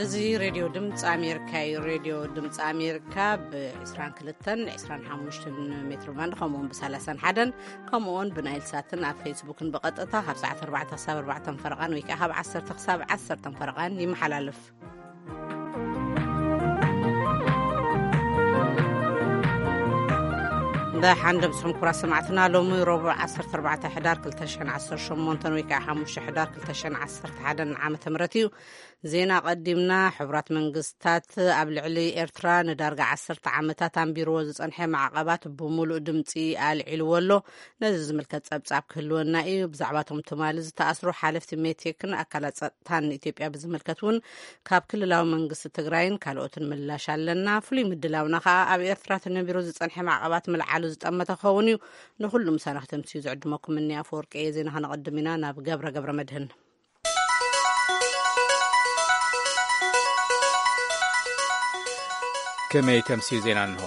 እዚ ሬድዮ ድምፂ ኣሜሪካ እዩ። ሬድዮ ድምፂ ኣሜሪካ ብ22፣ 25 ሜትር ባንድ፣ ከምኡውን ብ31፣ ከምኡውን ብናይል ሳትን ኣብ ፌስቡክን ብቐጥታ ካብ ሰዓት ኣርባዕተ ክሳብ ኣርባዕተ ፈረቓን ወይ ከዓ ካብ ዓሰርተ ክሳብ ዓሰርተ ፈረቓን ይመሓላለፍ። ብሓንደ ምስኹም ክቡራት ሰማዕትና፣ ሎሚ ረቡዕ ዓሰርተ ኣርባዕተ ሕዳር ክልተ ሽሕን ዓሰርተ ሸሞንተን ወይ ከዓ ሓሙሽተ ሕዳር ክልተ ሽሕን ዓሰርተ ሓደን ዓመተ ምህረት እዩ። ዜና ቀዲምና። ሕቡራት መንግስታት ኣብ ልዕሊ ኤርትራ ንዳርጋ ዓሰርተ ዓመታት ኣንቢርዎ ዝጸንሐ ማዕቐባት ብምሉእ ድምጺ ኣልዒልዎ ኣሎ። ነዚ ዝምልከት ጸብጻብ ክህልወና እዩ። ብዛዕባ እቶም ትማሊ ዝተኣስሩ ሓለፍቲ ሜቴክን ኣካላት ጸጥታን ንኢትዮጵያ ብዝምልከት እውን ካብ ክልላዊ መንግስቲ ትግራይን ካልኦትን ምላሽ ኣለና። ፍሉይ ምድላውና ከኣ ኣብ ኤርትራ ተነቢሩ ዝጸንሐ ማዕቐባት ምልዓሉ ዝጠመተ ክኸውን እዩ። ንኹሉ ምሳና ክተምስዩ ዝዕድመኩም እኒ ኣፈወርቂ እየ። ዜና ከነቐድም ኢና። ናብ ገብረ ገብረ መድህን። ከመይ ተምስዩ ዜና እንሆ።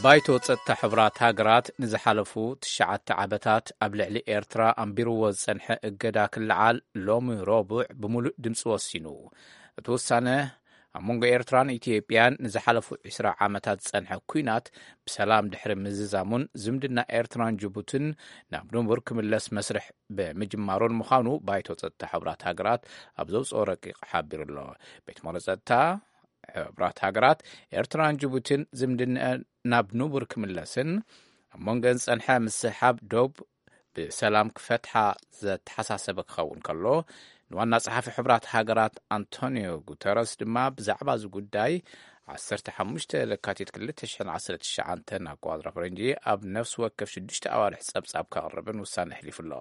ባይቶ ጸጥታ ሕቡራት ሃገራት ንዝሓለፉ ትሽዓተ ዓመታት ኣብ ልዕሊ ኤርትራ ኣንቢርዎ ዝጸንሐ እገዳ ክለዓል ሎሚ ረቡዕ ብምሉእ ድምጺ ወሲኑ። እቲ ውሳነ ኣብ መንጎ ኤርትራን ኢትዮጵያን ንዝሓለፉ ዕስራ ዓመታት ዝጸንሐ ኲናት ብሰላም ድሕሪ ምዝዛሙን ዝምድና ኤርትራን ጅቡትን ናብ ንቡር ክምለስ መስርሕ ብምጅማሩን ምዃኑ ባይቶ ጸጥታ ሕቡራት ሃገራት ኣብ ዘውጽኦ ረቂቕ ሓቢሩ ኣሎ። ቤት ምኽሪ ጸጥታ ሕቡራት ሃገራት ኤርትራን ጅቡትን ዝምድነአን ናብ ንቡር ክምለስን ኣብ መንጎን ዝጸንሐ ምስሕሓብ ዶብ ብሰላም ክፈትሓ ዘተሓሳሰበ ክኸውን ከሎ፣ ንዋና ጸሓፊ ሕቡራት ሃገራት ኣንቶኒዮ ጉተረስ ድማ ብዛዕባ እዚ ጉዳይ ዓሰርተ ሓሙሽተ ለካቲት ክልተ ሽሕን ዓሰርተ ትሽዓተን ኣቆጻጽራ ፈረንጂ ኣብ ነፍሲ ወከፍ ሽዱሽተ ኣዋርሕ ጸብጻብ ከቕርብን ውሳነ ኣሕሊፉ ኣሎ።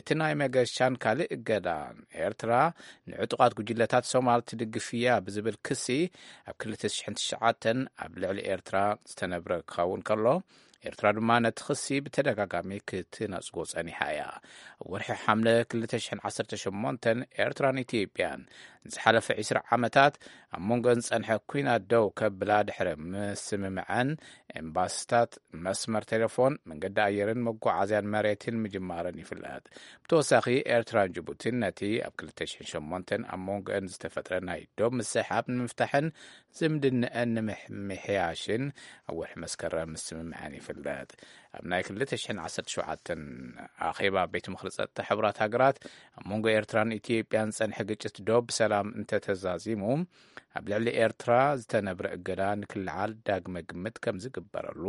እቲ ናይ መገሻን ካልእ እገዳን ኤርትራ ንዕጡቓት ጉጅለታት ሶማል ትድግፍ እያ ብዝብል ክሲ ኣብ ክልተ ሽሕን ትሽዓተን ኣብ ልዕሊ ኤርትራ ዝተነብረ ክኸውን ከሎ፣ ኤርትራ ድማ ነቲ ክሲ ብተደጋጋሚ ክትነጽጎ ጸኒሓ እያ። ኣብ ወርሒ ሓምለ ክልተ ሽሕን ዓሰርተ ሸሞንተን ኤርትራን ኢትዮጵያን ንዝሓለፈ ዕስራ ዓመታት ኣብ መንጎን ዝጸንሐ ኲናት ደው ከብላ ድሕሪ ምስምምዐን፣ ኤምባስታት፣ መስመር ቴሌፎን፣ መንገዲ ኣየርን መጓዓዝያን መሬትን ምጅማረን ይፍለጥ። ብተወሳኺ፣ ኤርትራን ጅቡቲን ነቲ ኣብ ክልተ ሽሕን ሸሞንተን ኣብ መንጎአን ዝተፈጥረ ናይ ዶብ ምስሕሓብ ንምፍታሕን ዝምድነአን ንምምሕያሽን ኣብ ወርሒ መስከረም ምስምምዐን ይፍለጥ። ኣብ ናይ ክልተ ሽሕን ዓሰርተ ሸውዓተን ኣኼባ ቤት ምኽሪ ጸጥታ ሕቡራት ሃገራት፣ ኣብ መንጎ ኤርትራን ኢትዮጵያን ዝጸንሐ ግጭት ዶብ ብሰላም እንተተዛዚሙ፣ ኣብ ልዕሊ ኤርትራ ዝተነብረ እገዳ ንክልዓል ዳግመ ግምት ከም ዝግበረሉ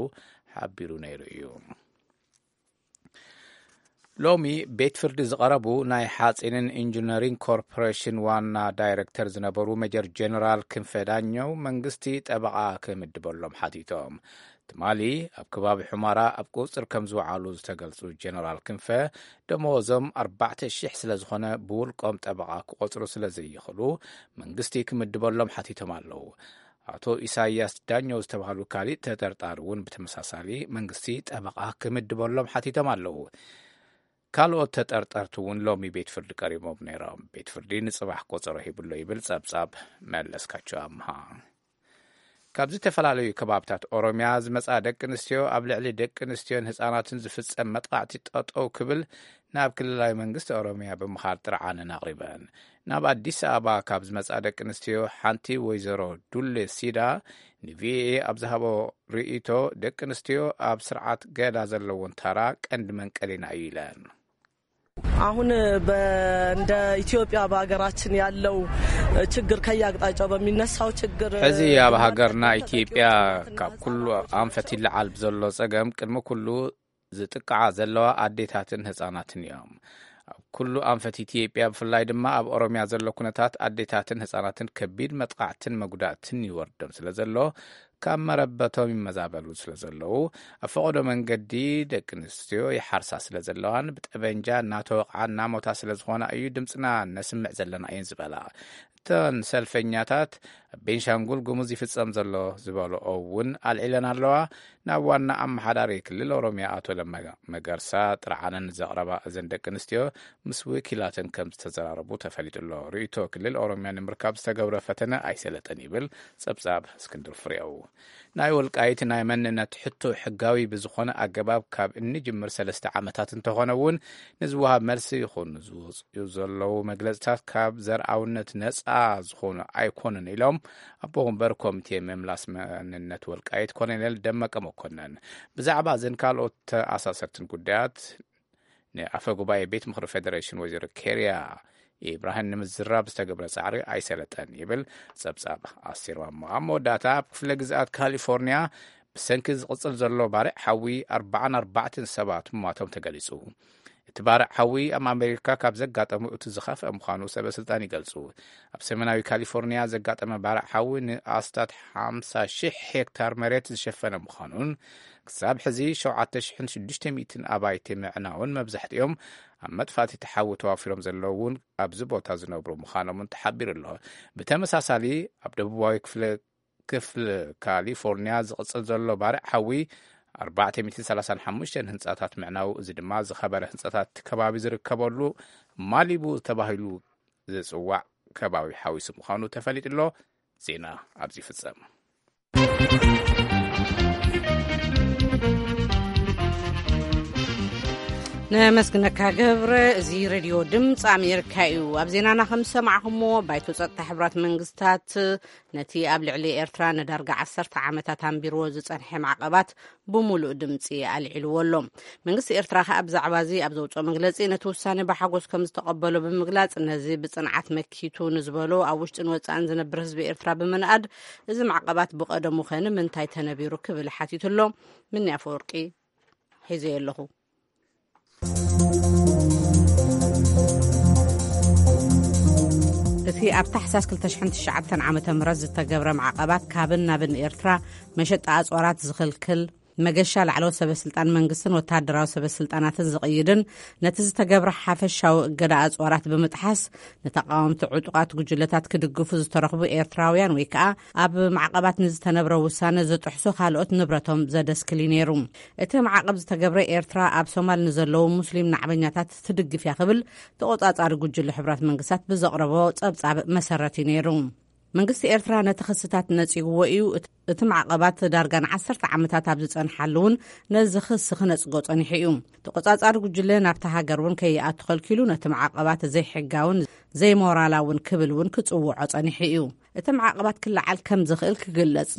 ሓቢሩ ነይሩ እዩ። ሎሚ ቤት ፍርዲ ዝቐረቡ ናይ ሓጺንን ኢንጂነሪንግ ኮርፖሬሽን ዋና ዳይሬክተር ዝነበሩ ሜጀር ጀነራል ክንፈ ዳኘው መንግስቲ ጠበቓ ክምድበሎም ሓቲቶም። ትማሊ ኣብ ከባቢ ሑመራ ኣብ ቁጽር ከም ዝወዓሉ ዝተገልጹ ጀነራል ክንፈ፣ ደመወዞም ኣርባዕተ ሽሕ ስለ ዝኾነ ብውልቆም ጠበቓ ክቆጽሩ ስለ ዘይኽእሉ መንግስቲ ክምድበሎም ሓቲቶም ኣለዉ። ኣቶ ኢሳያስ ዳኘው ዝተባህሉ ካሊእ ተጠርጣሪ እውን ብተመሳሳሊ መንግስቲ ጠበቓ ክምድበሎም ሓቲቶም ኣለዉ። ካልኦት ተጠርጠርቲ እውን ሎሚ ቤት ፍርዲ ቀሪቦም ነይሮም። ቤት ፍርዲ ንጽባሕ ቆጸሮ ሂብሎ ይብል ጸብጻብ መለስካቸው ኣምሃ። ካብ ዝተፈላለዩ ከባብታት ኦሮሚያ ዝመጻ ደቂ ኣንስትዮ ኣብ ልዕሊ ደቂ ኣንስትዮን ህጻናትን ዝፍጸም መጥቃዕቲ ጠጠው ክብል ናብ ክልላዊ መንግስቲ ኦሮሚያ ብምኻድ ጥርዓነን ኣቕሪበን። ናብ ኣዲስ ኣበባ ካብ ዝመጻ ደቂ ኣንስትዮ ሓንቲ ወይዘሮ ዱሌ ሲዳ ንቪኦኤ ኣብ ዝሃቦ ርእይቶ፣ ደቂ ኣንስትዮ ኣብ ስርዓት ገዳ ዘለዎን ታራ ቀንዲ መንቀሊና እዩ ኢለን። አሁን በ- እንደ ኢትዮጵያ በሀገራችን ያለው ችግር፣ ከየአቅጣጫው በሚነሳው ችግር፣ ሕዚ ኣብ ሃገርና ኢትዮጵያ ካብ ኩሉ ኣንፈት ይለዓል ብዘሎ ጸገም ቅድሚ ኩሉ ዝጥቃዓ ዘለዋ ኣዴታትን ህጻናትን እዮም። ኣብ ኩሉ ኣንፈት ኢትዮጵያ፣ ብፍላይ ድማ ኣብ ኦሮሚያ ዘሎ ኩነታት ኣዴታትን ህጻናትን ከቢድ መጥቃዕትን መጉዳእትን ይወርዶም ስለ ዘሎ፣ ካብ መረበቶም ይመዛበሉ ስለ ዘለዉ፣ ኣብ ፈቐዶ መንገዲ ደቂ ኣንስትዮ ይሓርሳ ስለ ዘለዋን ብጠበንጃ እናተወቕዓ እናሞታ ስለ ዝኾና እዩ ድምፅና ነስምዕ ዘለና እየን ዝበላ። እተን ሰልፈኛታት ቤንሻንጉል ጉሙዝ ይፍጸም ዘሎ ዝበልኦ እውን ኣልዒለን ኣለዋ። ናብ ዋና ኣመሓዳሪ ክልል ኦሮሚያ ኣቶ ለማ መገርሳ ጥርዓነን ዘቕረባ እዘን ደቂ ኣንስትዮ፣ ምስ ወኪላተን ከም ዝተዘራረቡ ተፈሊጡ ኣሎ። ርእይቶ ክልል ኦሮሚያ ንምርካብ ዝተገብረ ፈተነ ኣይሰለጠን ይብል ጸብጻብ እስክንድር ፍሬው። ናይ ወልቃይት ናይ መንነት ሕቶ ሕጋዊ ብዝኾነ ኣገባብ ካብ እንጅምር ሰለስተ ዓመታት እንተኾነ እውን፣ ንዝወሃብ መልሲ ይኹን ዝወፅኡ ዘለዉ መግለፅታት ካብ ዘርኣውነት ነፃ ዝኾኑ ኣይኮኑን ኢሎም ኣቦ ወንበር ኮሚቴ ምምላስ መንነት ወልቃይት ኮሎኔል ደመቀ መኮነን። ብዛዕባ እዘን ካልኦት ተኣሳሰርትን ጉዳያት ንኣፈ ጉባኤ ቤት ምኽሪ ፌደሬሽን ወይዘሮ ኬርያ ኢብራሂም ንምዝራብ ዝተገብረ ጻዕሪ ኣይሰለጠን ይብል ጸብጻብ ኣስቴር ማሞ። ኣብ መወዳእታ፣ ኣብ ክፍለ ግዝኣት ካሊፎርኒያ ብሰንኪ ዝቕጽል ዘሎ ባርዕ ሓዊ ኣርባዓን ኣርባዕተን ሰባት ምሟቶም ተገሊጹ። እቲ ባርዕ ሓዊ ኣብ ኣሜሪካ ካብ ዘጋጠሙ እቲ ዝኸፍአ ምዃኑ ሰበ ስልጣን ይገልጹ። ኣብ ሰሜናዊ ካሊፎርኒያ ዘጋጠመ ባርዕ ሓዊ ንኣስታት ሓምሳ ሺሕ ሄክታር መሬት ዝሸፈነ ምዃኑን፣ ክሳብ ሕዚ ሸውዓተ ሽሕን ሽዱሽተ ሚእትን ኣባይቲ ምዕናውን፣ መብዛሕትኦም ኣብ መጥፋእቲ እቲ ሓዊ ተዋፊሮም ዘለዉ እውን ኣብዚ ቦታ ዝነብሩ ምዃኖምን ተሓቢሩ ኣሎ። ብተመሳሳሊ፣ ኣብ ደቡባዊ ክፍለ፣ ክፍሊ ካሊፎርኒያ ዝቕጽል ዘሎ ባርዕ ሓዊ ኣርባዕተ ሚእትን ሰላሳን ሓሙሽተን ህንጻታት ምዕናው፣ እዚ ድማ ዝኸበረ ህንጻታት ከባቢ ዝርከበሉ ማሊቡ ተባሂሉ ዝጽዋዕ ከባቢ ሓዊሱ ምዃኑ ተፈሊጡ ኣሎ። ዜና ኣብዚ ይፍጸም። ነመስግነካ ገብረ። እዚ ሬድዮ ድምፂ ኣሜሪካ እዩ። ኣብ ዜናና ከም ዝሰማዕኹምዎ፣ ባይቶ ጸጥታ ሕቡራት መንግስታት ነቲ ኣብ ልዕሊ ኤርትራ ንዳርጋ ዓሰርተ ዓመታት ኣንቢርዎ ዝጸንሐ ማዕቐባት ብምሉእ ድምፂ ኣልዒልዎ ኣሎ። መንግስቲ ኤርትራ ከኣ ብዛዕባ እዚ ኣብ ዘውፅኦ መግለፂ፣ ነቲ ውሳነ ብሓጎስ ከም ዝተቐበሎ ብምግላፅ፣ ነዚ ብጽንዓት መኪቱ ንዝበሎ ኣብ ውሽጥን ወጻእን ዝነብር ህዝቢ ኤርትራ ብምንኣድ፣ እዚ ማዕቐባት ብቐደሙ ኸ ንምንታይ ተነቢሩ ክብል ሓቲቱ ኣሎ። ምኒ ኣፈወርቂ ሒዘዮ ኣለኹ። እቲ ኣብ ታሕሳስ ክልተ ሽሕን ትሽዓተን ዓመተ ምህረት ዝተገብረ ማዕቐባት ካብን ናብን ኤርትራ መሸጣ ኣጽዋራት ዝኽልክል፣ መገሻ ላዕለዎት ሰበ ስልጣን መንግስትን ወተሃደራዊ ሰበ ስልጣናትን ዝቕይድን፣ ነቲ ዝተገብረ ሓፈሻዊ እገዳ ኣጽዋራት ብምጥሓስ ንተቃወምቲ ዕጡቓት ጉጅለታት ክድግፉ ዝተረኽቡ ኤርትራውያን ወይ ከኣ ኣብ ማዕቐባት ንዝተነብረ ውሳነ ዝጥሕሱ ካልኦት ንብረቶም ዘደስክል እዩ ነይሩ። እቲ ማዕቐብ ዝተገብረ ኤርትራ ኣብ ሶማል ንዘለዉ ሙስሊም ናዕበኛታት ትድግፍ እያ ክብል ተቖጻጻሪ ጉጅለ ሕቡራት መንግስታት ብዘቕረቦ ጸብጻብ መሰረት እዩ ነይሩ። መንግስቲ ኤርትራ ነቲ ክስታት ነጺግዎ እዩ። እት-፣ እቲ ማዕቐባት ዳርጋ ንዓሰርተ ዓመታት ኣብ ዝጸንሓሉ እውን ነዚ ክሲ ክነጽጎ ጸኒሑ እዩ። ተቖጻጻሪ ጉጅለ ናብታ ሃገር እውን ከይኣቱ ከልኪሉ፣ ነቲ ማዕቐባት ዘይሕጋውን ዘይሞራላውን ክብል እውን ክጽውዖ ጸኒሑ እዩ። እቲ ማዕቐባት ክለዓል ከም ዝኽእል ክግለጽ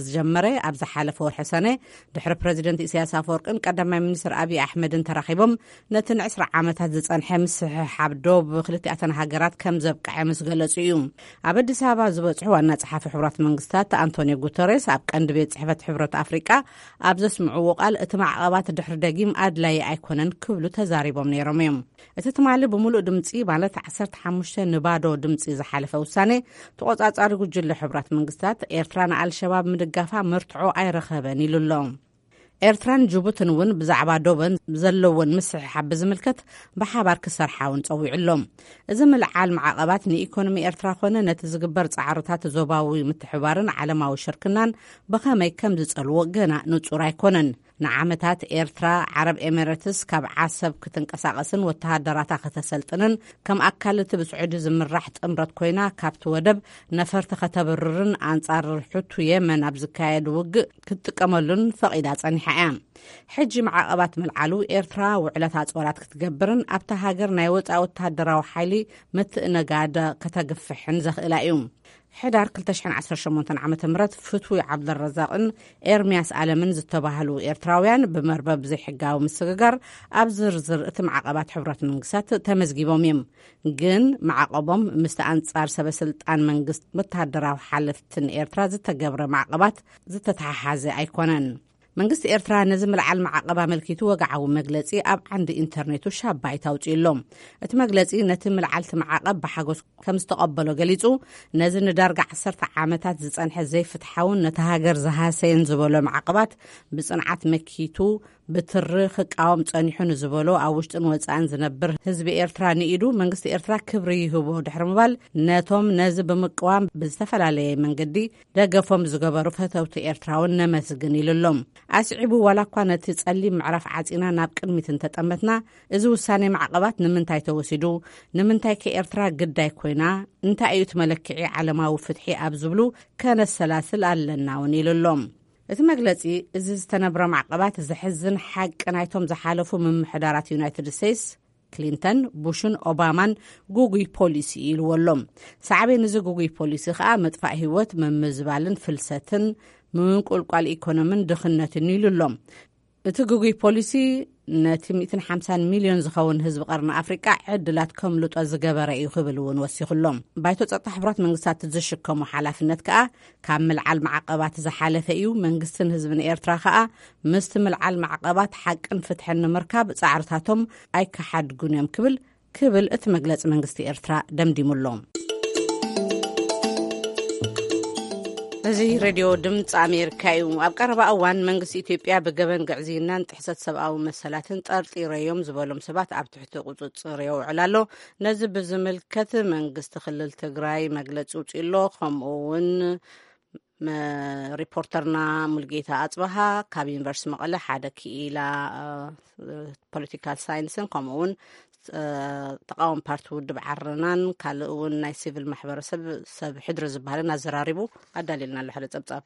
ዝጀመረ ኣብ ዝሓለፈ ወርሒ ሰነ፣ ድሕሪ ፕረዚደንት ኢሳያስ ኣፈወርቅን ቀዳማይ ሚኒስትር ኣብይ ኣሕመድን ተራኺቦም ነቲ ንዕስራ ዓመታት ዝጸንሐ ምስሕሓብ ዶብ ክልቲኣተን ሃገራት ከም ዘብቅዐ ምስ ገለጹ እዩ። ኣብ ኣዲስ ኣበባ ዝበጽሑ ዋና ጸሓፊ ሕቡራት መንግስታት ኣንቶኒዮ ጉተሬስ ኣብ ቀንዲ ቤት ጽሕፈት ሕብረት ኣፍሪቃ ኣብ ዘስምዕዎ ቃል፣ እቲ ማዕቐባት ድሕሪ ደጊም ኣድላዪ ኣይኮነን ክብሉ ተዛሪቦም ነይሮም እዮም። እቲ ትማሊ ብምሉእ ድምጺ፣ ማለት ዓሰርተ ሓሙሽተ ንባዶ ድምጺ ዝሓለፈ ውሳኔ፣ ተቖጻጻሪ ጉጅለ ሕቡራት መንግስታት፣ ኤርትራ ንኣልሸባብ ምድጋፋ መርትዖ ኣይረኸበን ኢሉ ኣሎ። ኤርትራን ጅቡትን እውን ብዛዕባ ዶበን ዘለወን ምስሕሓብ ብዝምልከት ብሓባር ክሰርሓ እውን ጸዊዑ ኣሎ። እዚ ምልዓል ማዕቐባት ንኢኮኖሚ ኤርትራ ኮነ ነቲ ዝግበር ጻዕርታት ዞባዊ ምትሕባርን ዓለማዊ ሽርክናን ብኸመይ ከም ዝጸልዎ ገና ንጹር ኣይኮነን። ንዓመታት ኤርትራ፣ ዓረብ ኤሚሬትስ ካብ ዓሰብ ክትንቀሳቐስን ወተሃደራታ ከተሰልጥንን፣ ከም ኣካል እቲ ብስዑዲ ዝምራሕ ጥምረት ኮይና ካብቲ ወደብ ነፈርቲ ከተብርርን ኣንጻር ሕቱ የመን ኣብ ዝካየድ ውግእ ክትጥቀመሉን ፈቒዳ ጸኒሓ እያ። ሕጂ ማዕቐባት ምልዓሉ፣ ኤርትራ ውዕለት ኣጽዋራት ክትገብርን ኣብታ ሃገር ናይ ወጻኢ ወተሃደራዊ ሓይሊ ምትእነጋድ ከተግፍሕን ዘኽእላ እዩ። ሕዳር ክልተ ሽሕን ዓሰርተ ሸሞንተን ዓመተ ምህረት፣ ፍትዊ ዓብደረዛቕን ኤርምያስ ኣለምን ዝተባህሉ ኤርትራውያን ብመርበብ ዘይሕጋዊ ምስግጋር ኣብ ዝርዝር እቲ ማዕቐባት ሕቡራት መንግስታት ተመዝጊቦም እዮም። ግን ማዕቐቦም ምስቲ ኣንጻር ሰበ ስልጣን መንግስት ወተሃደራዊ ሓለፍትን ኤርትራ ዝተገብረ ማዕቐባት ዝተተሓሓዘ ኣይኮነን። መንግስቲ ኤርትራ ነዚ ምልዓል ማዕቐብ ኣመልኪቱ ወግዓዊ መግለጺ ኣብ ዓንዲ ኢንተርኔቱ ሻባይት ኣውጺኡ ኣሎ። እቲ መግለጺ ነቲ ምልዓል እቲ ማዕቐብ ብሓጎስ ከም ዝተቐበሎ ገሊጹ፣ ነዚ ንዳርጋ ዓሰርተ ዓመታት ዝጸንሐ ዘይፍትሓውን ነቲ ሃገር ዝሃሰየን ዝበሎ ማዕቐባት ብጽንዓት መኪቱ፣ ብትሪ ክቃወም ጸኒሑ ንዝበሎ ኣብ ውሽጥን ወጻእን ዝነብር ህዝቢ ኤርትራ ንኢዱ መንግስቲ ኤርትራ ክብሪ ይህቦ ድሕሪ ምባል፣ ነቶም ነዚ ብምቅዋም ብዝተፈላለየ መንገዲ ደገፎም ዝገበሩ ፈተውቲ ኤርትራውን ነመስግን ኢሉ ኣሎ። ኣስዒቡ፣ ዋላ እኳ ነቲ ጸሊም ምዕራፍ ዓጺና ናብ ቅድሚት እንተጠመትና፣ እዚ ውሳኔ ማዕቐባት ንምንታይ ተወሲዱ? ንምንታይ ከ ኤርትራ ግዳይ ኮይና? እንታይ እዩ እቲ መለክዒ ዓለማዊ ፍትሒ ኣብ ዝብሉ ከነሰላስል ኣለና እውን ኢሉ ኣሎ። እቲ መግለጺ፣ እዚ ዝተነብረ ማዕቐባት ዘሕዝን ሓቂ ናይቶም ዝሓለፉ ምምሕዳራት ዩናይትድ ስቴትስ፣ ክሊንተን፣ ቡሽን ኦባማን፣ ጉጉይ ፖሊሲ ኢልዎ ኣሎ። ሳዕቤን እዚ ጉጉይ ፖሊሲ ከኣ መጥፋእ ህይወት፣ ምምዝባልን ፍልሰትን፣ ምንቁልቋል ኢኮኖምን ድኽነትን ኢሉ ኣሎ። እቲ ግጉይ ፖሊሲ ነቲ ሚእትን ሓምሳን ሚልዮን ዝኸውን ህዝቢ ቀርኒ ኣፍሪቃ ዕድላት ከምልጦ ዝገበረ እዩ ክብል እውን ወሲኹሎም። ባይቶ ጸጥታ ሕቡራት መንግስታት ዝሽከሞ ሓላፍነት ከኣ ካብ ምልዓል ማዕቐባት ዝሓለፈ እዩ። መንግስትን ህዝብን ኤርትራ ከኣ ምስቲ ምልዓል ማዕቐባት ሓቅን ፍትሕን ንምርካብ ጻዕርታቶም ኣይከሓድጉን እዮም ክብል ክብል እቲ መግለጺ መንግስቲ ኤርትራ ደምዲሙሎም። እዚ ሬድዮ ድምፂ ኣሜሪካ እዩ። ኣብ ቀረባ እዋን መንግስቲ ኢትዮጵያ ብገበን ግዕዝይናን ጥሕሰት ሰብኣዊ መሰላትን ጠርጢረዮም ዝበሎም ሰባት ኣብ ትሕቲ ቁፅፅር የውዕል ኣሎ። ነዚ ብዝምልከት መንግስቲ ክልል ትግራይ መግለፂ ውፅኡ ኣሎ። ከምኡ እውን መ-፣ ሪፖርተርና ሙልጌታ ኣፅበሃ ካብ ዩኒቨርሲቲ መቐለ ሓደ ክኢላ፣ እ፣ ፖለቲካል ሳይንስን ከምኡ እውን፣ እ፣ ተቃዋሚ ፓርቲ ውድብ ዓረናን ካልእ እውን ናይ ሲቪል ማሕበረሰብ ሰብ ሕድሪ ዝበሃልን ኣዘራሪቡ ኣዳልየልና ኣሎ ሓደ ጸብጻብ።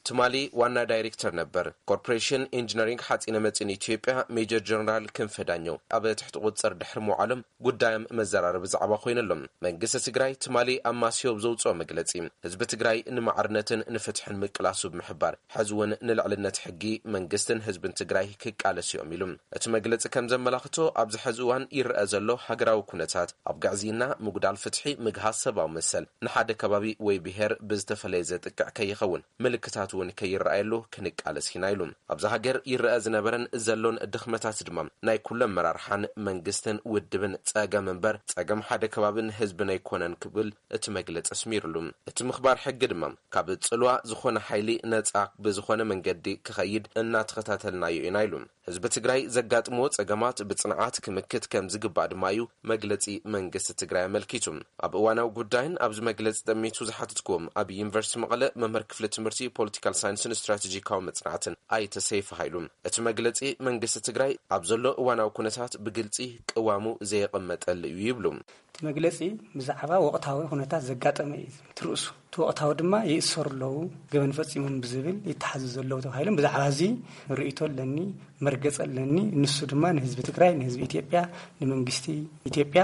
ትማሊ ዋና ዳይሬክተር ነበር ኮርፖሬሽን ኢንጂነሪንግ ሓፂነ መፂን ኢትዮጵያ ሜጀር ጀነራል ክንፈ ዳኘው ኣብ ትሕቲ ቁፅፅር ድሕሪ ምውዓሎም ጉዳዮም መዘራረቢ ዛዕባ ኮይነሎም። መንግስቲ ትግራይ ትማሊ ኣብ ማስዮ ብዘውፅኦ መግለፂ፣ ህዝቢ ትግራይ ንማዕርነትን ንፍትሕን ምቅላሱ ብምሕባር፣ ሕዚ እውን ንልዕልነት ሕጊ መንግስትን ህዝብን ትግራይ ክቃለስ እዮም ኢሉ። እቲ መግለፂ ከም ዘመላኽቶ፣ ኣብዚ ሕዚ እዋን ይረአ ዘሎ ሃገራዊ ኩነታት ኣብ ግዕዝይና፣ ምጉዳል ፍትሒ፣ ምግሃስ ሰብኣዊ መሰል፣ ንሓደ ከባቢ ወይ ብሄር ብዝተፈለየ ዘጥቅዕ ከይኸውን፣ ምልክታት እውን ከይረኣየሉ ክንቃለስ ኢና ኢሉ። ኣብዛ ሃገር ይረአ ዝነበረን ዘሎን ድኽመታት ድማ ናይ ኩሉ ኣመራርሓን መንግስትን ውድብን ጸገም እምበር ጸገም ሓደ ከባብን ህዝብን ኣይኮነን ክብል እቲ መግለጺ ኣስሚሩሉ። እቲ ምኽባር ሕጊ ድማ ካብ ጽልዋ ዝኾነ ሓይሊ ነጻ ብዝኾነ መንገዲ ክኸይድ እናተኸታተልናዮ ኢና ኢሉ። ህዝቢ ትግራይ ዘጋጥምዎ ጸገማት ብጽንዓት ክምክት ከም ዝግባእ ድማ እዩ መግለጺ መንግስቲ ትግራይ ኣመልኪቱ። ኣብ እዋናዊ ጉዳይን ኣብዚ መግለጺ ጠሚቱ ዝሓተትኩዎም ኣብ ዩኒቨርሲቲ መቐለ መምህር ክፍሊ ትምህርቲ ፖለቲካል ሳይንስን ስትራቴጂካዊ መጽናዕትን ኣይተ ሰይፈ ሃይሉ፣ እቲ መግለጺ መንግስቲ ትግራይ ኣብ ዘሎ እዋናዊ ኩነታት ብግልጺ ቅዋሙ ዘየቐመጠሉ እዩ ይብሉ። እቲ መግለጺ ብዛዕባ ወቕታዊ ኩነታት ዘጋጠመ እዩ ትርእሱ። እቲ ወቕታዊ ድማ ይእሰሩ ኣለዉ፣ ገበን ፈጺሞም ብዝብል ይተሓዙ ዘለዉ ተባሂሎም ብዛዕባ እዚ ርእይቶ ኣለኒ፣ መርገጽ ኣለኒ። ንሱ ድማ ንህዝቢ ትግራይ፣ ንህዝቢ ኢትዮጵያ፣ ንመንግስቲ ኢትዮጵያ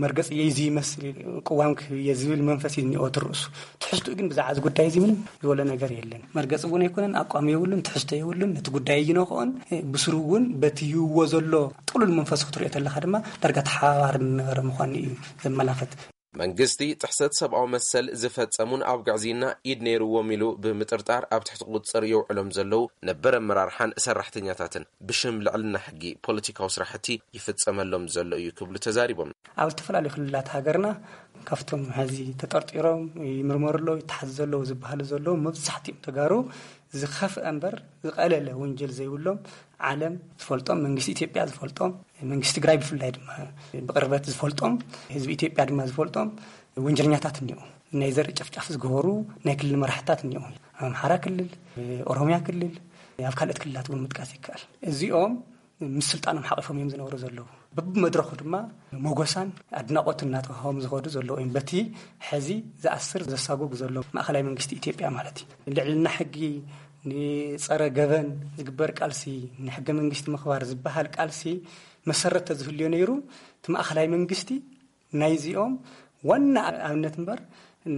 መርገጽ እየ፣ እዚ ይመስል ቅዋም ክህብ እየ ዝብል መንፈስ እዩ ዝኒኦ ትርእሱ። ትሕዝትኡ ግን ብዛዕባ እዚ ጉዳይ እዚ ምንም ዝበሎ ነገር የለን። መርገጽ እውን ኣይኮነን፣ ኣቋም የብሉን፣ ትሕዝቶ የብሉን። ነቲ ጉዳይ ኣይነክኦን። ብስሩ እውን በቲ ይህዎ ዘሎ ጥሉል መንፈስ ክትሪኦ ተለኻ ድማ ዳርጋ ተሓባባሪ ዝነበረ ምዃኑ እዩ ዘመላኽት። መንግስቲ ጥሕሰት ሰብኣዊ መሰል ዝፈጸሙን ኣብ ግዕዝይና ኢድ ነይርዎም ኢሉ ብምጥርጣር ኣብ ትሕቲ ቁጽጽር የውዕሎም ዘለዉ ነበር ኣመራርሓን ሰራሕተኛታትን ብሽም ልዕልና ሕጊ ፖለቲካዊ ስራሕቲ ይፍጸመሎም ዘሎ እዩ ክብሉ ተዛሪቦም። ኣብ ዝተፈላለዩ ክልላት ሃገርና ካብቶም ሕዚ ተጠርጢሮም ይምርመሩ ኣለዉ፣ ይተሓዙ ዘለዉ ዝበሃሉ ዘለዉ መብዛሕትኦም ተጋሩ ዝኸፍአ እምበር ዝቐለለ ወንጀል ዘይብሎም፣ ዓለም ዝፈልጦም፣ መንግስቲ ኢትዮጵያ ዝፈልጦም፣ መንግስቲ ትግራይ ብፍላይ ድማ ብቕርበት ዝፈልጦም፣ ህዝቢ ኢትዮጵያ ድማ ዝፈልጦም ወንጀለኛታት እኒኦ። ናይ ዘርኢ ጨፍጫፍ ዝገበሩ ናይ ክልል መራሕታት እኒኦ። ኣብ ኣምሓራ ክልል፣ ኦሮሚያ ክልል፣ ኣብ ካልኦት ክልላት እውን ምጥቃስ ይከኣል። እዚኦም ምስ ስልጣኖም ሓቒፎም እዮም ዝነብሩ ዘለዉ። በብመድረኹ ድማ ሞጎሳን ኣድናቖትን እናተዋህቦም ዝኸዱ ዘለዉ እዮም። በቲ ሕዚ ዝኣስር ዘሳጉግ ዘሎ ማእኸላይ መንግስቲ ኢትዮጵያ ማለት እዩ። ልዕልና ሕጊ፣ ንጸረ ገበን ዝግበር ቃልሲ፣ ንሕገ መንግስቲ ምኽባር ዝበሃል ቃልሲ መሰረት ተዝህልዮ ነይሩ፣ እቲ ማእኸላይ መንግስቲ ናይዚኦም ዋና ኣብነት እምበር፣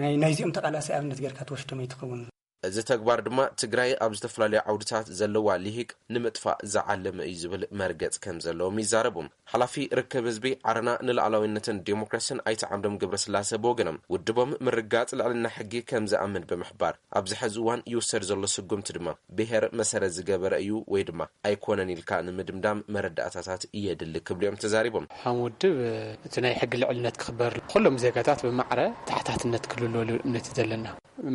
ናይ-፣ ናይዚኦም ተቓላሲ ኣብነት ጌርካ ትወስዶም ኣይትኸውን። እዚ ተግባር ድማ ትግራይ ኣብ ዝተፈላለዩ ዓውድታት ዘለዋ ልሂቅ ንምጥፋእ ዝዓለመ እዩ ዝብል መርገጽ ከም ዘለዎም ይዛረቡ። ሓላፊ ርክብ ህዝቢ ዓረና ንሉዓላዊነትን ዴሞክራሲን ኣይተ ዓምዶም ገብረስላሴ ብወገኖም፣ ውድቦም ምርጋጽ ልዕልና ሕጊ ከም ዝኣምን ብምሕባር፣ ኣብዚ ሕዚ እዋን ይውሰድ ዘሎ ስጉምቲ ድማ ብሄር መሰረት ዝገበረ እዩ ወይ ድማ ኣይኮነን ኢልካ ንምድምዳም መረዳእታታት የድሊ ክብሉ እዮም ተዛሪቦም። ከም ውድብ እቲ ናይ ሕጊ ልዕልነት ክኽበር፣ ኩሎም ዜጋታት ብማዕረ ተሓታትነት ክልለሉ እምነት እዩ ዘለና።